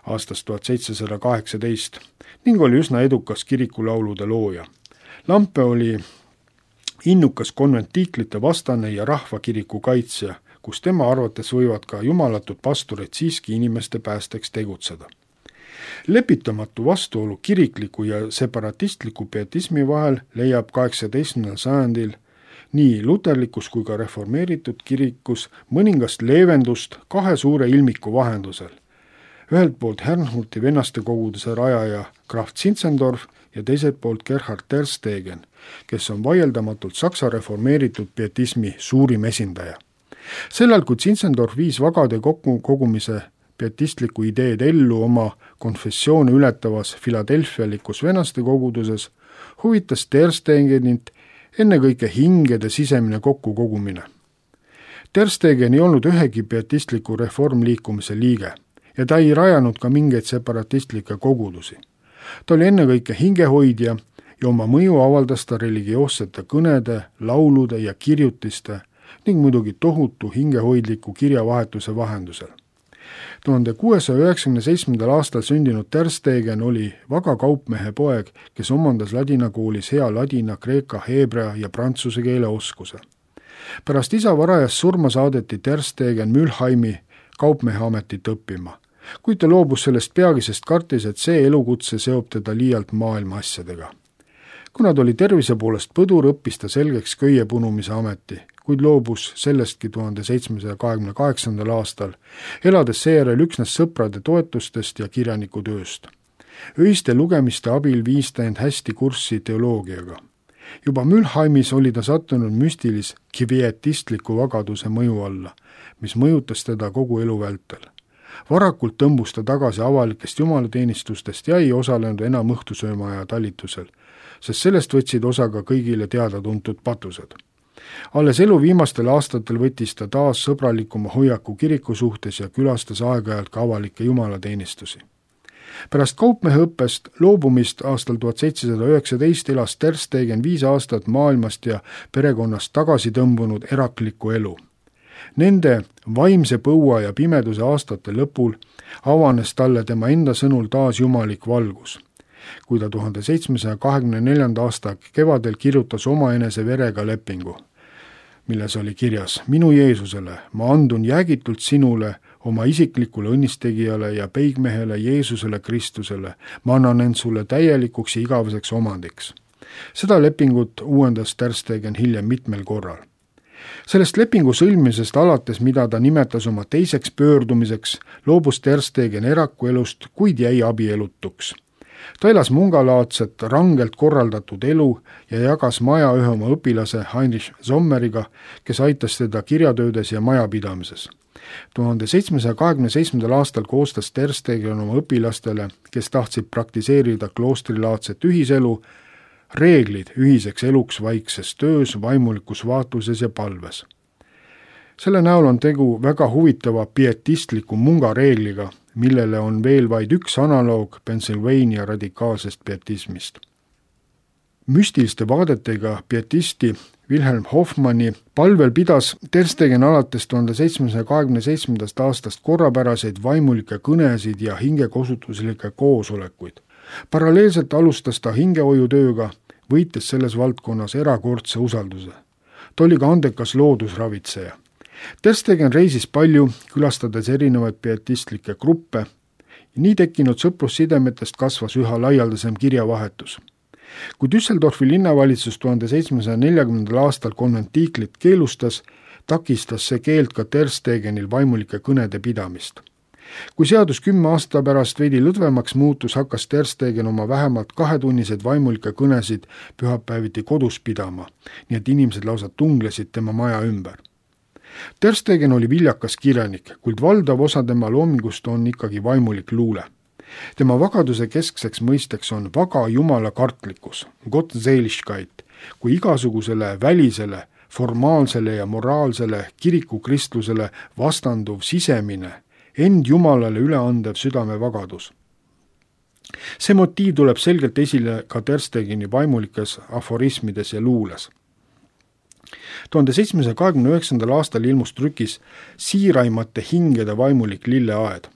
aastast tuhat seitsesada kaheksateist ning oli üsna edukas kirikulaulude looja. Lampe oli innukas konventiiklite vastane ja rahvakiriku kaitsja, kus tema arvates võivad ka jumalatud pastorid siiski inimeste päästeks tegutseda. Lepitamatu vastuolu kirikliku ja separatistliku pietismi vahel leiab kaheksateistkümnendal sajandil nii luterlikus kui ka reformeeritud kirikus mõningast leevendust kahe suure ilmiku vahendusel. Ühelt poolt Herrnhuti vennaste koguduse rajaja Graf Zinzendorf ja teiselt poolt Gerhard Terstegen, kes on vaieldamatult Saksa reformeeritud pietismi suurim esindaja. Sellal, kui Zinzendorf viis vagade kokkukogumise pietistliku ideed ellu oma konfessioone ületavas filadelfialikus vennaste koguduses, huvitas Terstegenit ennekõike hingede sisemine kokkukogumine. Terstegen ei olnud ühegi pietistliku reformliikumise liige ja ta ei rajanud ka mingeid separatistlikke kogudusi. Ta oli ennekõike hingehoidja ja oma mõju avaldas ta religioossete kõnede, laulude ja kirjutiste ning muidugi tohutu hingehoidliku kirjavahetuse vahendusel. tuhande kuuesaja üheksakümne seitsmendal aastal sündinud Terstegen oli vaga kaupmehe poeg, kes omandas ladina koolis hea ladina, kreeka, heebrea ja prantsuse keele oskuse. Pärast isa varajast surma saadeti Terstegen Mülheimi kaupmehe ametit õppima, kuid ta loobus sellest peagi, sest kartis, et see elukutse seob teda liialt maailma asjadega. Kuna ta oli tervise poolest põdur, õppis ta selgeks köie punumise ameti, kuid loobus sellestki tuhande seitsmesaja kahekümne kaheksandal aastal, elades seejärel üksnes sõprade toetustest ja kirjanikutööst. Öiste lugemiste abil viis ta end hästi kurssi teoloogiaga. Juba Mülheimis oli ta sattunud müstilis kvietistliku vagaduse mõju alla, mis mõjutas teda kogu elu vältel. Varakult tõmbus ta tagasi avalikest jumalateenistustest ja ei osalenud enam õhtusöömaaja talitusel, sest sellest võtsid osa ka kõigile teada-tuntud patused. Alles elu viimastel aastatel võttis ta taas sõbralikuma hoiaku kiriku suhtes ja külastas aeg-ajalt ka avalikke jumalateenistusi. Pärast kaupmeheõppest loobumist aastal tuhat seitsesada üheksateist elas Terstegen viis aastat maailmast ja perekonnast tagasi tõmbunud eraklikku elu. Nende vaimse põua ja pimeduse aastate lõpul avanes talle tema enda sõnul taas jumalik valgus, kui ta tuhande seitsmesaja kahekümne neljanda aasta kevadel kirjutas omaenese verega lepingu, milles oli kirjas: minu Jeesusele, ma andun jäägitult sinule, oma isiklikule õnnistegijale ja peigmehele Jeesusele Kristusele, ma annan end sulle täielikuks ja igaveseks omandiks. Seda lepingut uuendas Terstegen hiljem mitmel korral. Sellest lepingu sõlmisest alates, mida ta nimetas oma teiseks pöördumiseks, loobus Terstegen erakuelust, kuid jäi abielutuks. Ta elas mungalaadset, rangelt korraldatud elu ja jagas maja ühe oma õpilase Heinrich Sommeriga, kes aitas teda kirjatöödes ja majapidamises. tuhande seitsmesaja kahekümne seitsmendal aastal koostas Terstegen oma õpilastele, kes tahtsid praktiseerida kloostrilaadset ühiselu, reeglid ühiseks eluks vaikses töös, vaimulikus vaatluses ja palves. Selle näol on tegu väga huvitava pietistliku mungareegliga, millele on veel vaid üks analoog Pennsylvania radikaalsest pietismist. Müstiliste vaadetega pietisti Wilhelm Hoffmanni palvel pidas Ter Stegen alates tuhande seitsmesaja kahekümne seitsmendast aastast korrapäraseid vaimulikke kõnesid ja hingekosutuslikke koosolekuid. Paralleelselt alustas ta hingehoiutööga, võites selles valdkonnas erakordse usalduse. Ta oli ka andekas loodusravitseja. Ter Stegen reisis palju, külastades erinevaid pietistlikke gruppe. Nii tekkinud sõprussidemetest kasvas üha laialdasem kirjavahetus. Kui Düsseldorfi linnavalitsus tuhande seitsmesaja neljakümnendal aastal konventiiklit keelustas, takistas see keeld ka Ter Stegenil vaimulike kõnede pidamist. Kui seadus kümme aasta pärast veidi lõdvemaks muutus, hakkas Ter Stegen oma vähemalt kahetunnised vaimulike kõnesid pühapäeviti kodus pidama, nii et inimesed lausa tunglesid tema maja ümber. Ter Stegen oli viljakas kirjanik, kuid valdav osa tema loomingust on ikkagi vaimulik luule. Tema vagaduse keskseks mõisteks on vaga jumala kartlikkus, Gottseligkeit, kui igasugusele välisele, formaalsele ja moraalsele kirikukristlusele vastanduv sisemine, end jumalale üleandev südamevagadus. See motiiv tuleb selgelt esile ka Ter Stegeni vaimulikes aforismides ja luules. tuhande seitsmesaja kahekümne üheksandal aastal ilmus trükis Siiraimate hingede vaimulik lilleaed.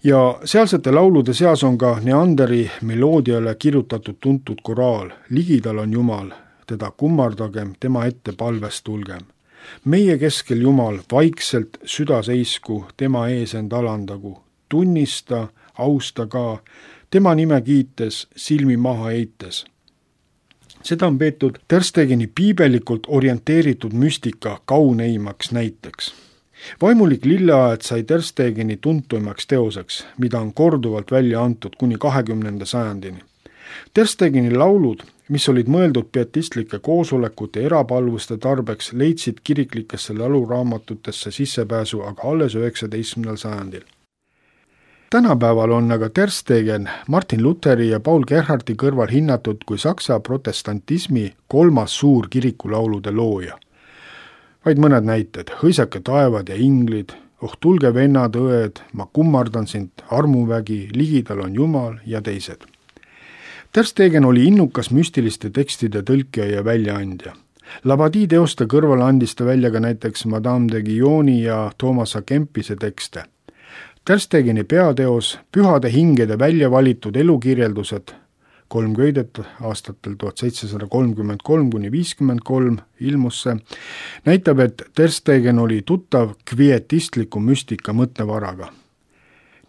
Ja sealsete laulude seas on ka Neanderi meloodiale kirjutatud tuntud koraal Ligidal on Jumal, teda kummardagem, tema ette palvest tulgem. Meie keskel Jumal, vaikselt süda seisku, tema ees end alandagu, tunnista, austa ka, tema nime kiites, silmi maha eites. Seda on peetud Ter Stegeni piibelikult orienteeritud müstika kauneimaks näiteks. Vaimulik lilleaed sai Ter Stegeni tuntuimaks teoseks, mida on korduvalt välja antud kuni kahekümnenda sajandini. Ter Stegeni laulud, mis olid mõeldud pietistlike koosolekute erapalvuste tarbeks, leidsid kiriklikesse lauluraamatutesse sissepääsu aga alles üheksateistkümnendal sajandil. Tänapäeval on aga Ter Stegen Martin Lutheri ja Paul Gerhardti kõrval hinnatud kui saksa protestantismi kolmas suur kirikulaulude looja. Vaid mõned näited, Hõisake taevad ja inglid, Oh tulge vennad õed, ma kummardan sind, armuvägi, Ligidal on Jumal ja teised. Ter Stegen oli innukas müstiliste tekstide tõlkija ja väljaandja. Labadie teoste kõrval andis ta välja ka näiteks Madame de Guilloni ja Thomas A. Kempise tekste. Ter Stegeni peateos Pühade hingede välja valitud elukirjeldused, kolm köidet aastatel tuhat seitsesada kolmkümmend kolm kuni viiskümmend kolm ilmus see, näitab, et Ter Stegen oli tuttav kvietistliku müstika mõttevaraga.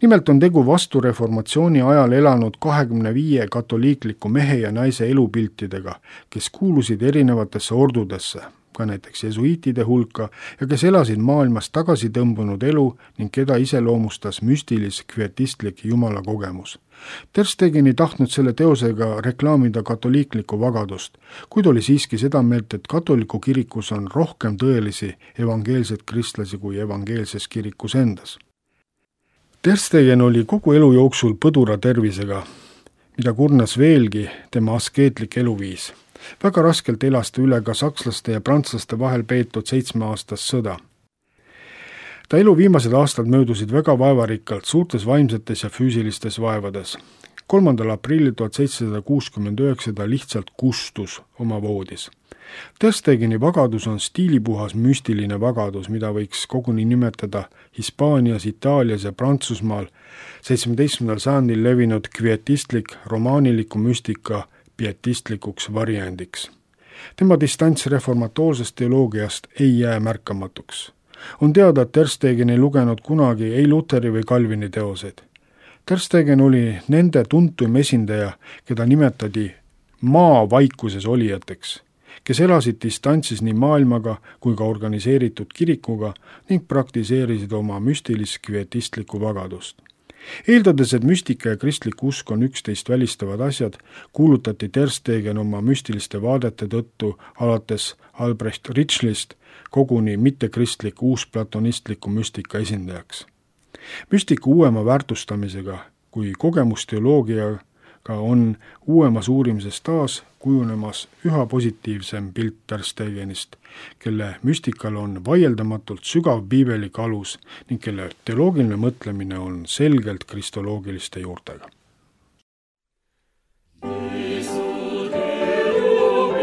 Nimelt on tegu vastureformatsiooni ajal elanud kahekümne viie katoliikliku mehe ja naise elupiltidega, kes kuulusid erinevatesse ordudesse, ka näiteks jesuiitide hulka, ja kes elasid maailmas tagasi tõmbunud elu ning keda iseloomustas müstilis kvietistlik jumala kogemus. Ter Stegen ei tahtnud selle teosega reklaamida katoliiklikku vagadust, kuid oli siiski seda meelt, et katoliku kirikus on rohkem tõelisi evangeelseid kristlasi kui evangeelses kirikus endas. Ter Stegen oli kogu elu jooksul põdura tervisega, mida kurnas veelgi tema askeetlik eluviis. Väga raskelt elas ta üle ka sakslaste ja prantslaste vahel peetud seitsmeaastast sõda. Ta elu viimased aastad möödusid väga vaevarikkalt suurtes vaimsetes ja füüsilistes vaevades. kolmandal aprillil tuhat seitsesada kuuskümmend üheksa ta lihtsalt kustus oma voodis. Ter Stegeni vagadus on stiilipuhas müstiline vagadus, mida võiks koguni nimetada Hispaanias, Itaalias ja Prantsusmaal seitsmeteistkümnendal sajandil levinud kvietistlik romaaniliku müstika pietistlikuks variandiks. Tema distants reformatoorsest teoloogiast ei jää märkamatuks. On teada, et Ter Stegen ei lugenud kunagi ei Lutheri või Calvini teoseid. Ter Stegen oli nende tuntuim esindaja, keda nimetati maa vaikuses olijateks, kes elasid distantsis nii maailmaga kui ka organiseeritud kirikuga ning praktiseerisid oma müstilis kvietistlikku vagadust. Eeldades, et müstika ja kristlik usk on üksteist välistavad asjad, kuulutati Ter Stegen oma müstiliste vaadete tõttu alates Albrecht Ritschlist koguni mittekristlik uusplatonistliku müstika esindajaks. Müstika uuema väärtustamisega kui kogemusteoloogiaga on uuemas uurimises taas kujunemas üha positiivsem pilt Ter Stegenist, kelle müstikal on vaieldamatult sügav piibelik alus ning kelle teoloogiline mõtlemine on selgelt kristoloogiliste juurtega. Jesu, Deum,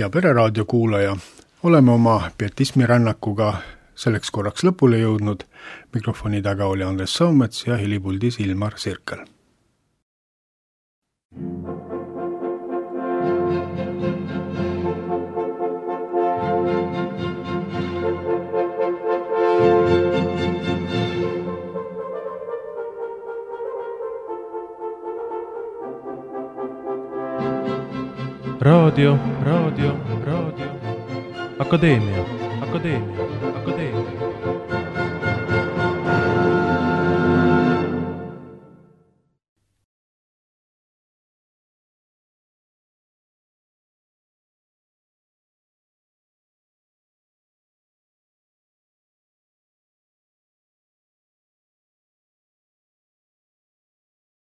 hea Pereraadio kuulaja, oleme oma pietismi rännakuga selleks korraks lõpule jõudnud. Mikrofoni taga oli Andres Soomets ja helipuldis Ilmar Sirkel. Raadio, raadio, raadio, akadeemia, akadeemia, akadeemia.